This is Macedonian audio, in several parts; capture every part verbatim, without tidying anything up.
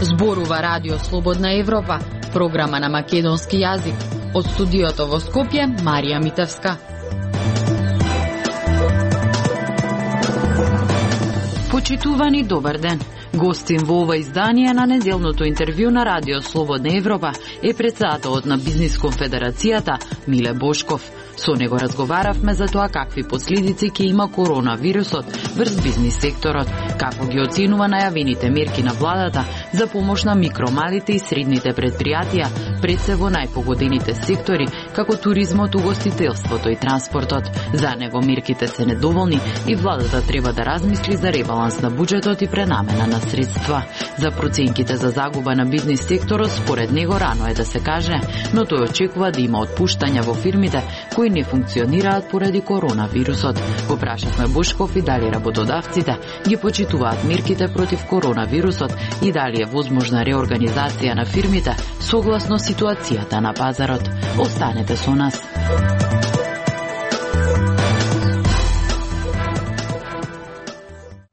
Зборува Радио Слободна Европа, програма на македонски јазик. Од студиото во Скопје, Марија Митевска. Почитувани, добар ден. Гостин во ова издание на неделното интервју на Радио Слободна Европа е председателот на Бизнис конфедерацијата Миле Бошков. Со него разговаравме за тоа какви последици ќе има коронавирусот врз бизнис секторот, како ги оценува најавените мерки на владата за помош на микро, малите и средните предпријатија, пред се во најпогодените сектори, како туризмот, угостителството и транспортот. За него мерките се недоволни и владата треба да размисли за ребаланс на буџетот и пренамена на средства. За проценките за загуба на бизнис секторот, според него рано е да се каже, но тој очекува да има отпуштања во фирмите кои не функционираат поради коронавирусот. Го прашавме Бошков и дали работодавците ги почитуваат мерките против коронавирусот и дали е возможна реорганизација на фирмите согласно ситуацијата на пазарот. Останете со нас.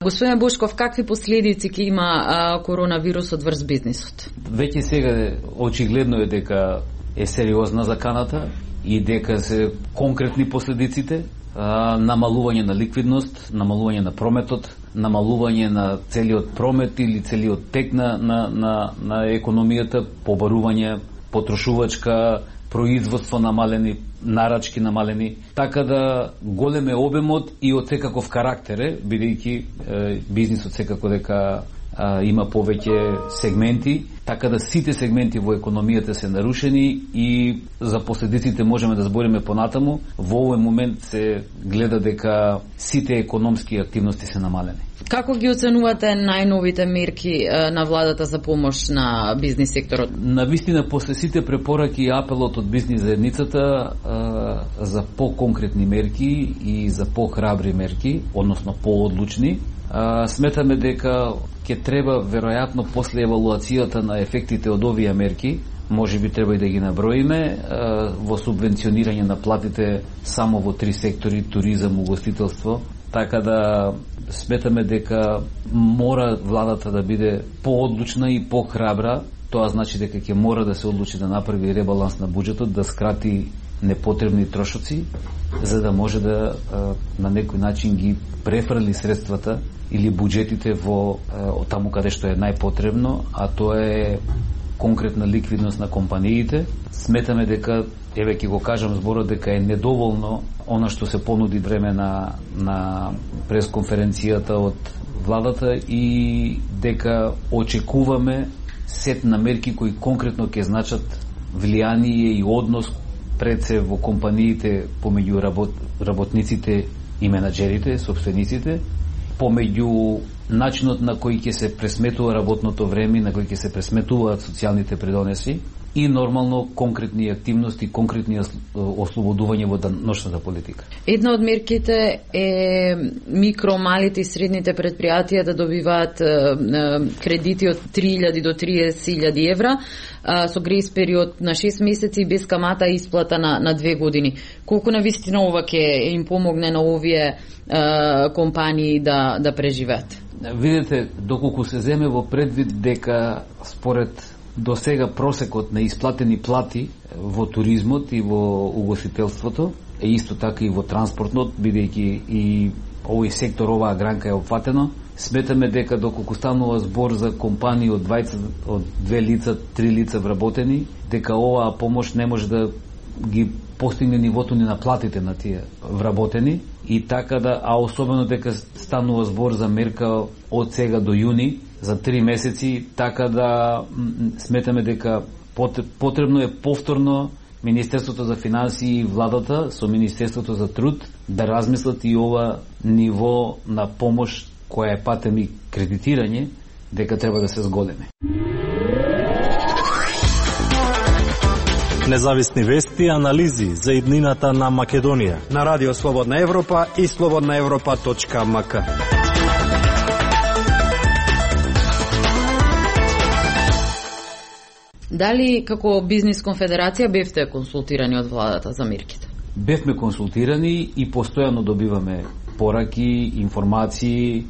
Господине Бошков, какви последици ќе има а, коронавирусот врз бизнисот? Веќе сега очигледно е дека е сериозна заканата и дека се конкретни последиците, а, намалување на ликвидност, намалување на прометот, намалување на целиот промет или целиот тек на, на, на, на економијата, побарување потрошувачка, производство намалени, нарачки намалени, така да голем е обемот и од секаков карактер е, бидејќи е, бизнисот секако дека а, има повеќе сегменти, така да сите сегменти во економијата се нарушени и за последиците можеме да збориме понатаму. Во овој момент се гледа дека сите економски активности се намалени. Како ги оценувате најновите мерки на владата за помош на бизнис секторот? Навистина, после сите препораки и апелот од бизнис заедницата за по-конкретни мерки и за по-храбри мерки, односно по-одлучни, сметаме дека ќе треба веројатно после евалуацијата на ефектите од овие мерки, може би треба и да ги наброиме, во субвенционирање на платите само во три сектори: туризам, угостителство. Така да сметаме дека мора владата да биде по-одлучна и по-храбра. Тоа значи дека ќе мора да се одлучи да направи ребаланс на буџетот, да скрати непотребни трошоци, за да може да на некој начин ги префрли средствата или буџетите во таму каде што е најпотребно, а тоа е конкретна ликвидност на компаниите. Сметаме дека, еве ќе го кажам зборот, дека е недоволно она што се понуди време на, на пресконференцијата од владата и дека очекуваме сет на мерки кои конкретно ќе значат влијание и однос пред се во компаниите помеѓу работ, работниците и менаџерите, собствениците, помеѓу начинот на кој ќе се пресметува работното време, на кој ќе се пресметуваат социјалните придонеси и нормално конкретни активности, конкретни ослободување во деношната политика. Една од мерките е микро, малите и средните предпријатија да добиваат кредити од три илјади до триесет илјади евра со грејс период на шест месеци и без камата исплата на, на две години. Колку навистина ова ќе им помогне на овие а, компании да, да преживеат? Видете, доколку се земе во предвид дека според до сега просекот на исплатени плати во туризмот и во угостителството е исто така и во транспортнот, бидејќи и овој сектор, оваа гранка е опфатено, сметаме дека доколку станува збор за компании од дваесет, од две лица, три лица вработени, дека оваа помош не може да ги постигне нивото ни на платите на тие вработени и така да, а особено дека станува збор за мерка од сега до јуни, за три месеци, така да сметаме дека потребно е повторно Министерството за финансии и владата со Министерството за труд да размислат и ова ниво на помош која е патем и кредитирање, дека треба да се зголеме. Независни вести и анализи за иднината на Македонија на Радио Слободна Европа и слободна европа точка ем ка. Дали како бизнис конфедерација бевте консултирани од владата за мерките? Бевме консултирани и постојано добиваме пораки, информации.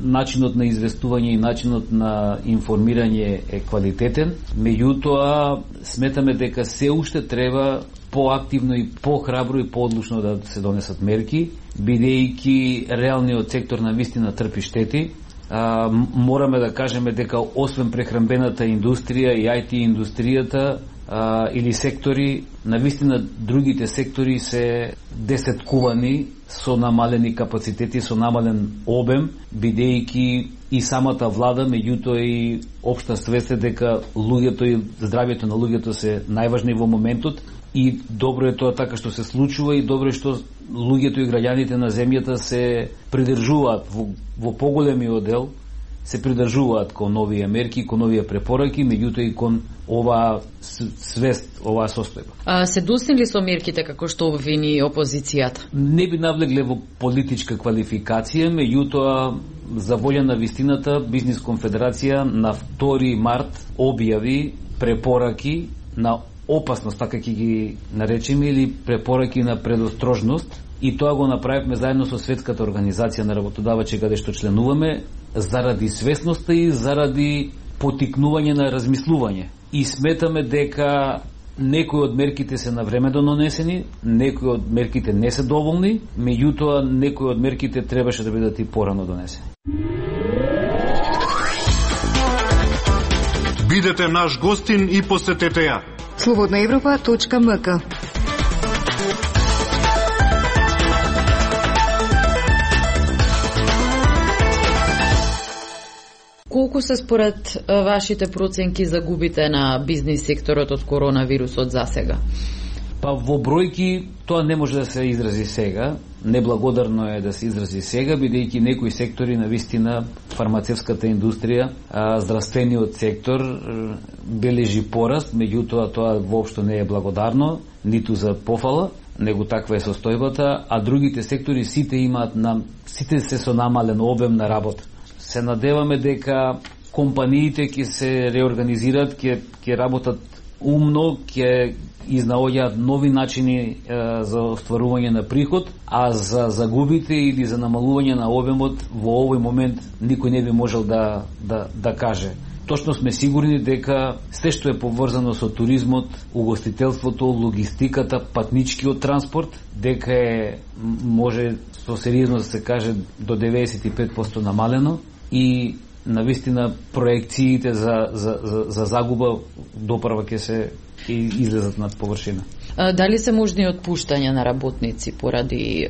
Начинот на известување и начинот на информирање е квалитетен, меѓутоа сметаме дека се уште треба поактивно и похрабро и поодлучно да се донесат мерки, бидејќи реалниот сектор на вистина трпи штети. А, мораме да кажеме дека освен прехранбената индустрија и ай ти индустријата а, или сектори, на вистина другите сектори се десеткувани со намалени капацитети, со намален обем, бидејќи и самата влада, меѓутоа и општа свест е дека луѓето и здравјето на луѓето се најважни во моментот. И добро е тоа така што се случува и добро е што луѓето и граѓаните на земјата се придржуваат во, во поголемиот дел, се придржуваат кон новија мерки, кон новија препораки, меѓутоа и кон оваа свест, оваа состојба. А се доснили со мерките како што обвини опозицијата? Не би навлегле во политичка квалификација, меѓутоа за волја на вистината Бизнис конфедерација на втори март објави препораки на опасност, така ќе ги наречеме, или препораки на предострожност, и тоа го направивме заедно со Светската организација на работодавачи каде што членуваме, заради свесноста и заради потикнување на размислување. И сметаме дека некои од мерките се навремено донесени, некои од мерките не се доволни, меѓутоа некои од мерките требаше да бидат и порано донесени. Бидете наш гостин и посетете ја слободна европа точка ем ка. Колку се според вашите проценки загубите на бизнис секторот од коронавирусот за сега? Па во бројки тоа не може да се изрази сега, неблагодарно е да се изрази сега, бидејќи некои сектори на вистина, фармацевската индустрија, а, здравствениот сектор бележи пораст, меѓутоа тоа воопшто не е благодарно, ниту за пофала, него таква е состојбата, а другите сектори сите имаат нам, сите се со намален обем на работа. Се надеваме дека компаниите ќе се реорганизираат, ќе ќе работат умно, ќе изнаоѓаат нови начини е, за остварување на приход, а за загубите или за намалување на обемот во овој момент никој не би можел да, да, да каже. Точно сме сигурни дека се што е поврзано со туризмот, угостителството, логистиката, патничкиот транспорт, дека е, може со сериозно да се каже, до деветдесет и пет проценти намалено, и навистина проекциите за, за, за, за загуба допрва ќе се излезат над површина. Дали се можни отпуштања на работници поради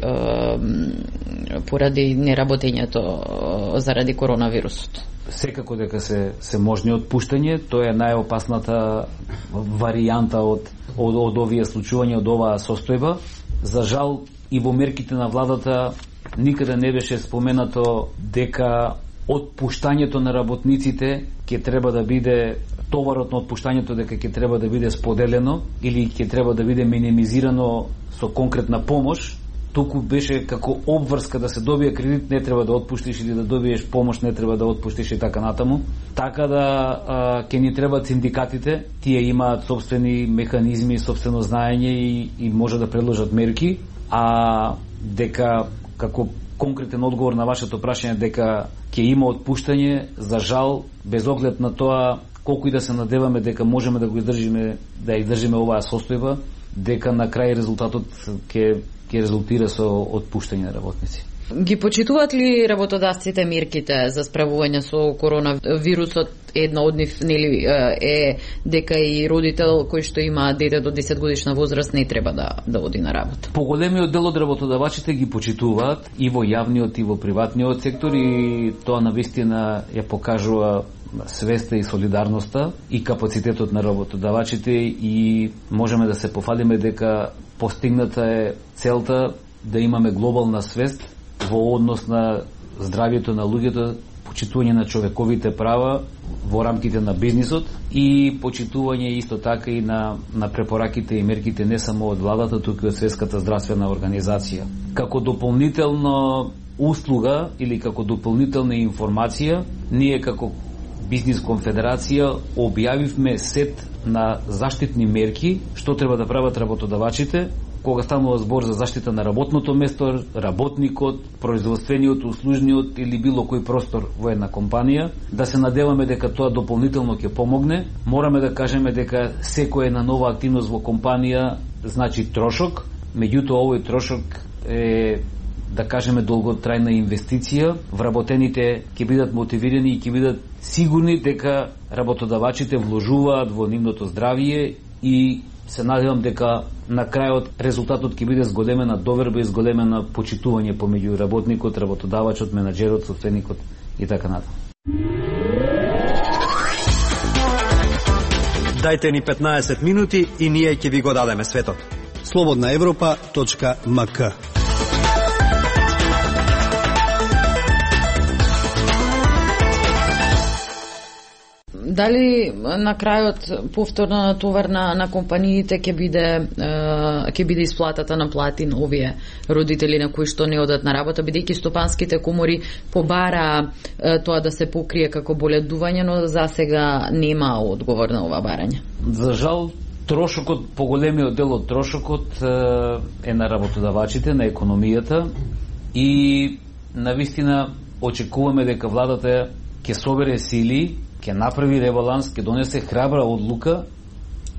поради неработењето заради коронавирусот? Секако дека се се можни отпуштање, тоа е најопасната варијанта од од, од овие случувања, од оваа состојба. За жал и во мерките на владата никаде не беше споменато дека отпуштањето на работниците ќе треба да биде, товарот на отпуштањето дека ќе треба да биде споделено или ќе треба да биде минимизирано со конкретна помош. Туку беше како обврска да се добие кредит, не треба да отпуштиш, или да добиеш помош, не треба да отпуштиш и така натаму. Така да а, ќе ни требаат синдикатите, тие имаат собствени механизми, собствено знаење и, и може да предложат мерки, а дека како конкретен одговор на вашето прашање дека ќе има отпуштање, за жал, без оглед на тоа колку и да се надеваме дека можеме да го издржиме, да ја издржиме оваа состојба, дека на крај резултатот ќе ќе резултира со отпуштање на работници. Ги почитуваат ли работодавците мерките за справување со коронавирусот? Една од нив нели е дека и родител кој што има дете до десет годишна возраст не треба да да оди на работа. Поголемиот дел од работодавачите ги почитуваат и во јавниот и во приватниот сектор, и тоа навистина ја покажува свеста и солидарноста и капацитетот на работодавачите, и можеме да се пофалиме дека постигната е целта да имаме глобална свест во однос на здравјето на луѓето, почитување на човековите права во рамките на бизнисот и почитување исто така и на, на препораките и мерките не само од владата, туку и од Светската здравствена организација. Како дополнително услуга или како дополнителна информација, ние како Бизнис конфедерација објавивме сет на заштитни мерки што треба да прават работодавачите кога станува збор за заштита на работното место, работникот, производствениот, услужниот или било кој простор во една компанија. Да се надеваме дека тоа дополнително ќе помогне. Мораме да кажеме дека секоја една нова активност во компанија значи трошок, меѓутоа овој трошок е, да кажеме, долготрајна инвестиција. Вработените ќе бидат мотивирани и ќе бидат сигурни дека работодавачите вложуваат во нивното здравје и се надевам дека на крајот резултатот ќе биде зголемена доверба и зголемена почитување помеѓу работникот, работодавачот, менаџерот, собственикот и така натаму. Дајте ни петнаесет минути и ние ќе ви го дадеме светот. слободна европа точка ем ка. Дали на крајот повторна натовар на, на компаниите ќе биде ќе биде исплатата на плати на овие родители на кои што не одат на работа, бидејќи стопанските комори побара тоа да се покрие како боледување, но засега нема одговор на ова барање. За жал, трошокот, поголемиот дел од трошокот е на работодавачите, на економијата и навистина очекуваме дека владата ќе собере сили, ќе направи ребаланс, ќе донесе храбра одлука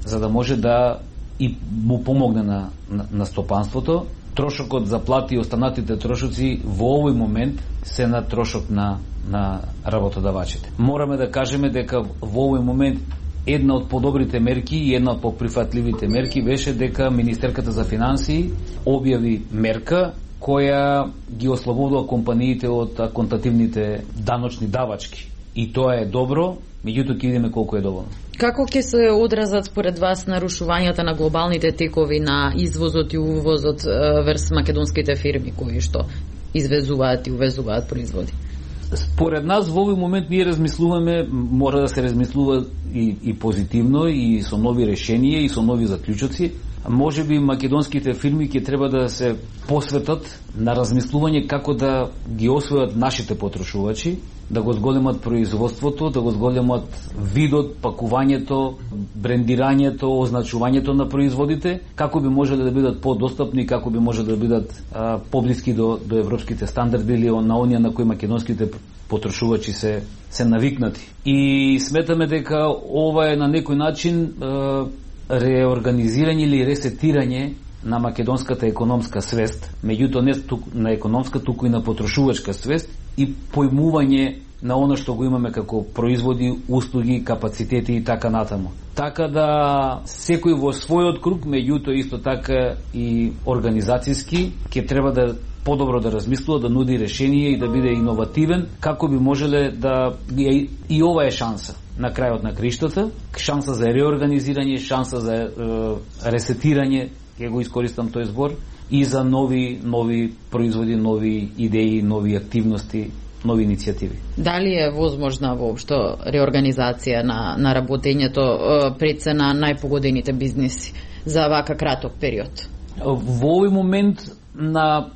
за да може да и му помогне на, на, на стопанството. Трошокот за плати и останатите трошоци во овој момент се на трошок на, на работодавачите. Мораме да кажеме дека во овој момент една од подобрите мерки и една од поприфатливите мерки беше дека Министерката за финансии објави мерка која ги ослободува компаниите од аконтативните даночни давачки. И тоа е добро, меѓутоа ќе видиме колку е доволно. Како ќе се одразат според вас нарушувањата на глобалните текови на извозот и увозот врз македонските фирми кои што извезуваат и увезуваат производи? Според нас во овој момент ние размислуваме, мора да се размислува и, и позитивно и со нови решенија и со нови заклучоци. Може би македонските фирми ќе треба да се посветат на размислување како да ги освојат нашите потрошувачи, да го зголемат производството, да го зголемат видот, пакувањето, брендирањето, означувањето на производите, како би можеле да бидат подостапни, како би можеле да бидат а, поблиски до, до европските стандарди или на оние на кои македонските потрошувачи се, се навикнати. И сметаме дека ова е на некој начин а, реорганизирање или ресетирање на македонската економска свест, меѓутоа не на економска, туку и на потрошувачка свест и појмување на оно што го имаме како производи, услуги, капацитети и така натаму. Така да секој во својот круг, меѓутоа исто така и организацијски, ќе треба да подобро да размислува, да нуди решение и да биде иновативен, како би можеле да... И, и ова е шанса на крајот на криштата, шанса за реорганизирање, шанса за е, ресетирање, ќе го искористам тој збор, и за нови нови производи, нови идеи, нови активности, нови иницијативи. Дали е возможна воопшто реорганизација на, на работењето пред се на најпогодените бизнеси за вака краток период? Во овој момент на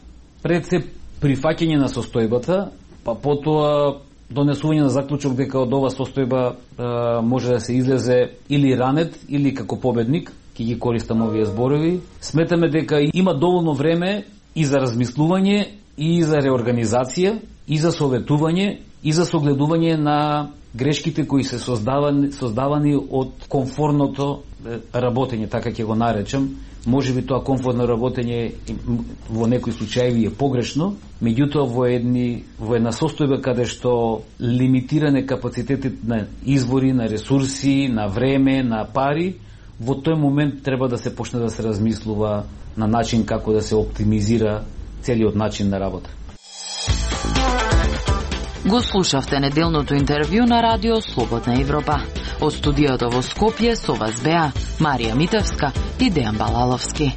пред се прифаќање на состојбата, па потоа донесување на заклучок дека од ова состојба е, може да се излезе или ранет, или како победник, ќе ги користам овие зборови. Сметаме дека има доволно време и за размислување, и за реорганизација, и за советување, и за согледување на грешките кои се создавани, создавани од комфорното работење, така ќе го наречам. Може би тоа комфортно работење во некои случаи е погрешно, меѓутоа во едни во една состојба каде што лимитиране капацитетите на извори, на ресурси, на време, на пари, во тој момент треба да се почне да се размислува на начин како да се оптимизира целиот начин на работа. Го слушавте неделното интервју на Радио Слободна Европа. Од студиото во Скопје со вас беа Марија Митевска и Дејан Балаловски.